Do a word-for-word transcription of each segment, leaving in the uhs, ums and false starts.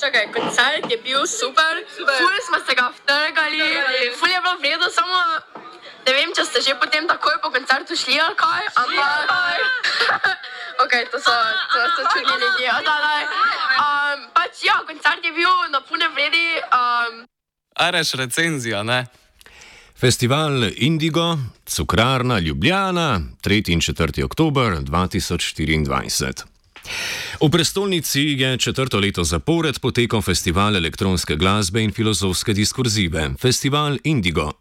Čakaj, koncert je bil super, ful smo se ga vtrgali, ful je bilo vredo, samo ne vem, če ste že potem takoj po koncertu šli ali kaj, ampak... Ok, to so, to so čudni ljudje, da, da. Um, pač ja, koncert je bil na pune vredi. Um... A reš recenzija, ne? Festival Indigo, Cukrarna Ljubljana, tretji in četrti oktober dva tisoč štiriindvajset. V prestolnici je četrto leto zapored potekal festival elektronske glasbe in filozofske diskurzive, festival Indigo.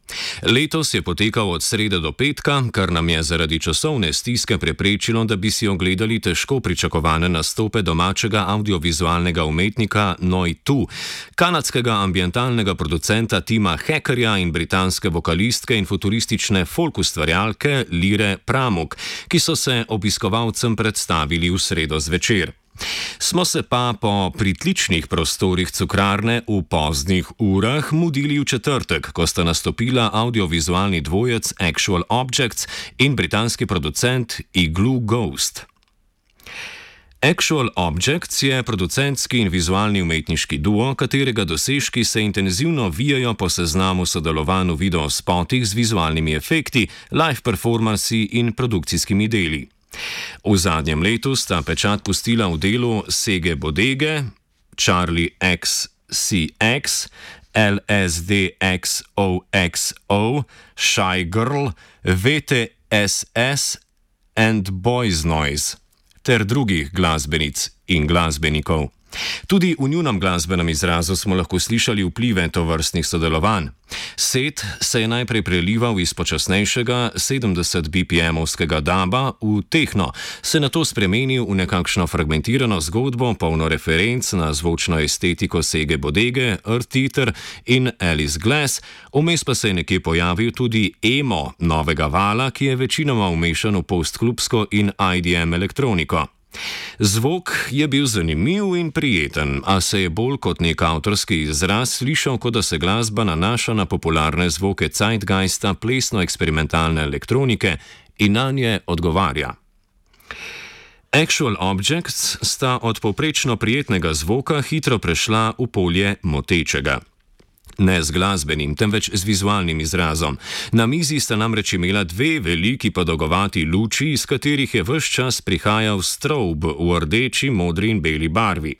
Letos je potekal od srede do petka, kar nam je zaradi časovne stiske preprečilo, da bi si ogledali težko pričakovane nastope domačega audiovizualnega umetnika Noitu, kanadskega ambientalnega producenta Tima Hackerja in britanske vokalistke in futuristične folk ustvarjalke Lire Pramuk, ki so se obiskovalcem predstavili v sredo zvečer. Smo se pa po pritličnih prostorih Cukrarne v poznih urah mudili v četrtek, ko sta nastopila audiovizualni dvojec Actual Objects in britanski producent Igloo Ghost. Actual Objects je producentski in vizualni umetniški duo, katerega dosežki se intenzivno vijajo po seznamu sodelovanj v videospotih z vizualnimi efekti, live performansi in produkcijskimi deli. V zadnjem letu sta pečat pustila v delu Sege Bodege, Charlie X C X, L S D X O X O, Shy Girl, V T S S and Boys Noise ter drugih glasbenic in glasbenikov. Tudi v njunem glasbenem izrazu smo lahko slišali vplive tovrstnih sodelovanj. Set se je najprej prelival iz počasnejšega sedemdeset B P M-ovskega daba v tehno, se nato spremenil v nekakšno fragmentirano zgodbo, polno referenc na zvočno estetiko Sege Bodege, Earth Eater in Alice Glass, vmes pa se je nekje pojavil tudi emo novega vala, ki je večinoma umešan v postklubsko in I D M elektroniko. Zvok je bil zanimiv in prijeten, a se je bolj kot nek avtorski izraz slišal, kot da se glasba nanaša na popularne zvoke zeitgeista plesno-eksperimentalne elektronike in na nje odgovarja. Actual Objects sta od povprečno prijetnega zvoka hitro prešla v polje motečega. Ne z glasbenim, temveč z vizualnim izrazom. Na mizi sta namreč imela dve veliki podolgovati luči, iz katerih je ves čas prihajal strobe v rdeči, modri in beli barvi.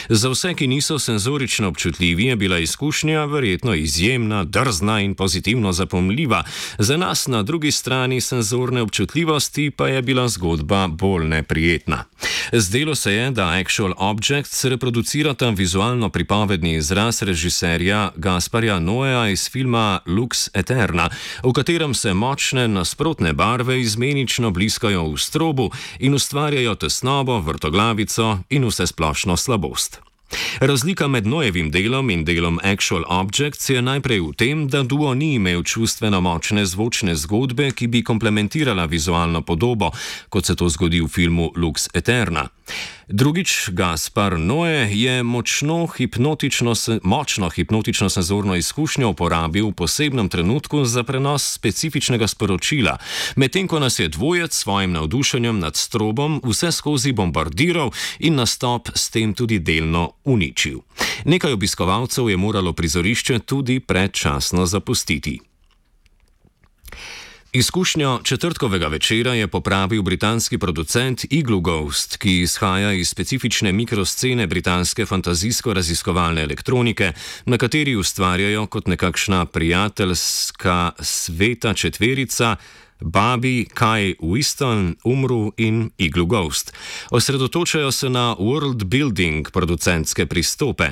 Za vse, ki niso senzorično občutljivi, je bila izkušnja verjetno izjemna, drzna in pozitivno zapomljiva. Za nas na drugi strani senzorne občutljivosti pa je bila zgodba bolj neprijetna. Zdelo se je, da Actual Objects reproducirata vizualno pripovedni izraz režiserja Gasparja Noéa iz filma Lux Eterna, v katerem se močne nasprotne barve izmenično bliskajo v strobu in ustvarjajo tesnobo, vrtoglavico in vsesplošno slabost. Razlika med Noévim delom in delom Actual Objects je najprej v tem, da duo ni imel čustveno močne zvočne zgodbe, ki bi komplementirala vizualno podobo, kot se to zgodi v filmu Lux Eterna. Drugič, Gaspar Noé je močno hipnotično, močno hipnotično senzorno izkušnjo uporabil v posebnem trenutku za prenos specifičnega sporočila, medtem ko nas je dvojec s svojim navdušenjem nad strobom vse skozi bombardiral in nastop s tem tudi delno uničil. Nekaj obiskovalcev je moralo prizorišče tudi predčasno zapustiti. Izkušnjo četrtkovega večera je popravil britanski producent Igloo Ghost, ki izhaja iz specifične mikroscene britanske fantazijsko-raziskovalne elektronike, na kateri ustvarjajo kot nekakšna prijateljska sveta četverica Babi, Kai Whiston, Umru in Igloo Ghost. Osredotočajo se na world building producentske pristope.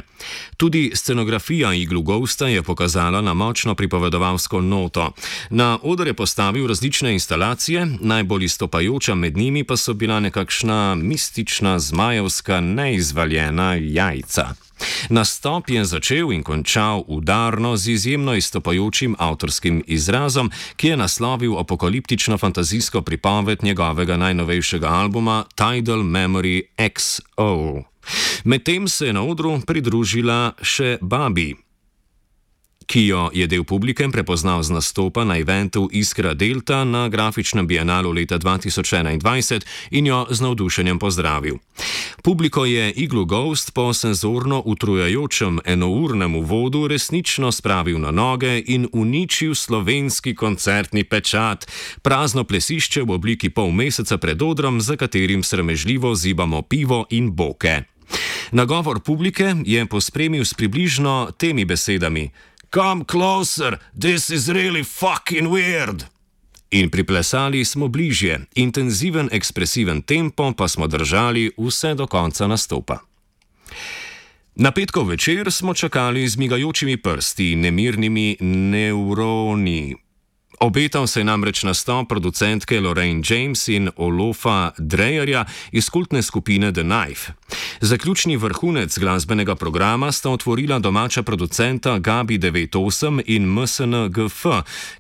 Tudi scenografija Igloo Ghosta je pokazala na močno pripovedovalsko noto. Na oder je postavil različne instalacije, najbolj izstopajoča med njimi pa so bila nekakšna mistična zmajevska neizvaljena jajca. Nastop je začel in končal udarno z izjemno izstopajočim avtorskim izrazom, ki je naslovil apokaliptično fantazijsko pripoved njegovega najnovejšega albuma Tidal Memory X O. Medtem se je na odru pridružila še Babi, ki jo je del publike prepoznal z nastopa na eventu Iskra Delta na grafičnem bienalu leta dva tisoč enaindvajset in jo z navdušenjem pozdravil. Publiko je Igloo Ghost po senzorno utrujajočem enournem uvodu resnično spravil na noge in uničil slovenski koncertni pečat, prazno plesišče v obliki pol meseca pred odrom, za katerim sramežljivo zibamo pivo in boke. Nagovor publike je pospremil s približno temi besedami: "Come closer, this is really fucking weird." In priplesali smo bližje, intenziven ekspresiven tempo pa smo držali vse do konca nastopa. Na petkov večer smo čakali z migajočimi prsti in nemirnimi nevroni. Obetal se je namreč nastop producentke Lorraine James in Olofa Dreyerja iz kultne skupine The Knife. Zaključni vrhunec glasbenega programa sta otvorila domača producenta Gabi devet osem in M S N G F,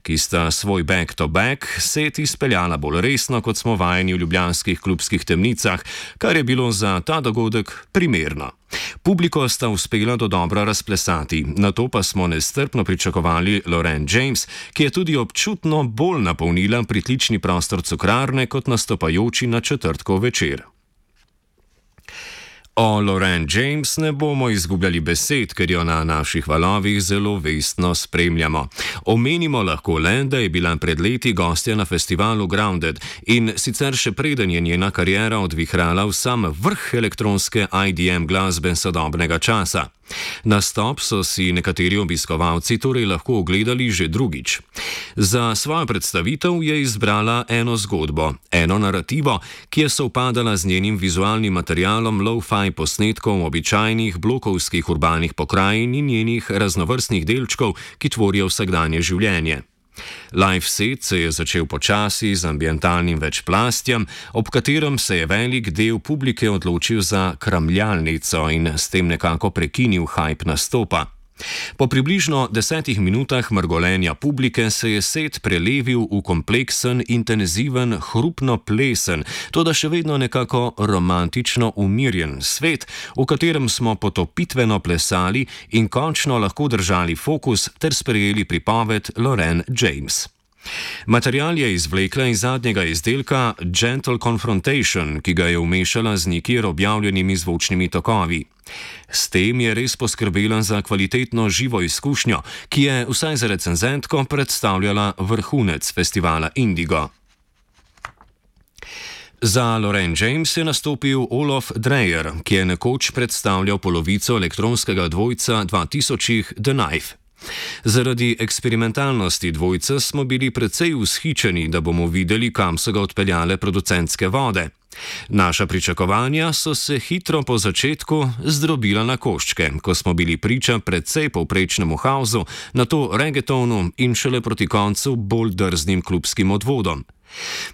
ki sta svoj back-to-back set izpeljala bolj resno, kot smo vajeni v ljubljanskih klubskih temnicah, kar je bilo za ta dogodek primerno. Publiko sta uspela dodobra razplesati, nato pa smo nestrpno pričakovali Lorraine James, ki je tudi občutno bolj napolnila pritlični prostor Cukrarne kot nastopajoči na četrtkov večer. O Lorraine James ne bomo izgubljali besed, ker jo na naših valovih zelo vestno spremljamo. Omenimo lahko le, da je bila pred leti gostja na festivalu Grounded in sicer še preden je njena kariera odvihrala v sam vrh elektronske I D M glasbe sodobnega časa. Nastop so si nekateri obiskovalci torej lahko ogledali že drugič. Za svojo predstavitev je izbrala eno zgodbo, eno narativo, ki je sovpadala z njenim vizualnim materialom lo-fi posnetkov običajnih blokovskih urbanih pokrajin in njenih raznovrstnih delčkov, ki tvorijo vsakdanje življenje. Live set se je začel počasi z ambientalnim večplastjem, ob katerem se je velik del publike odločil za kramljalnico in s tem nekako prekinil hype nastopa. Po približno desetih minutah mrgolenja publike se je set prelevil v kompleksen, intenziven, hrupno plesen, toda še vedno nekako romantično umirjen svet, v katerem smo potopitveno plesali in končno lahko držali fokus ter sprejeli pripoved Lorraine James. Material je izvlekla iz zadnjega izdelka Gentle Confrontation, ki ga je vmešala z nikjer objavljenimi zvočnimi tokovi. S tem je res poskrbela za kvalitetno živo izkušnjo, ki je vsaj za recenzentko predstavljala vrhunec festivala Indigo. Za Lorraine James je nastopil Olof Dreyer, ki je nekoč predstavljal polovico elektronskega dvojca dva tisočih The Knife. Zaradi eksperimentalnosti dvojca smo bili precej vzhičeni, da bomo videli, kam so ga odpeljale producentske vode. Naša pričakovanja so se hitro po začetku zdrobila na koščke, ko smo bili priča precej povprečnemu hausu, nato reggaetonu in šele proti koncu bolj drznim klubskim odvodom.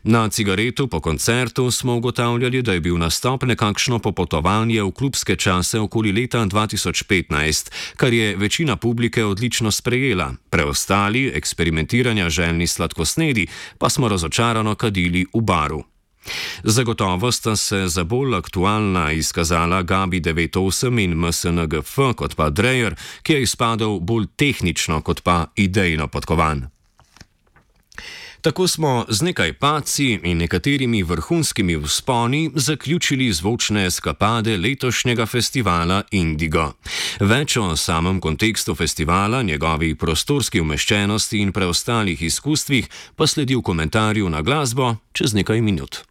Na cigaretu po koncertu smo ugotavljali, da je bil nastop nekakšno popotovanje v klubske čase okoli leta dva tisoč petnajst, kar je večina publike odlično sprejela, preostali eksperimentiranja željni sladkosnedi pa smo razočarano kadili v baru. Zagotovo sta se za bolj aktualna izkazala Gabi devet osem in M S N G F kot pa Dreyer, ki je izpadel bolj tehnično kot pa idejno podkovan. Tako smo z nekaj padci in nekaterimi vrhunskimi vzponi zaključili zvočne eskapade letošnjega festivala Indigo. Več o samem kontekstu festivala, njegovi prostorski umeščenosti in preostalih izkustvih pa sledi v komentarju na glasbo čez nekaj minut.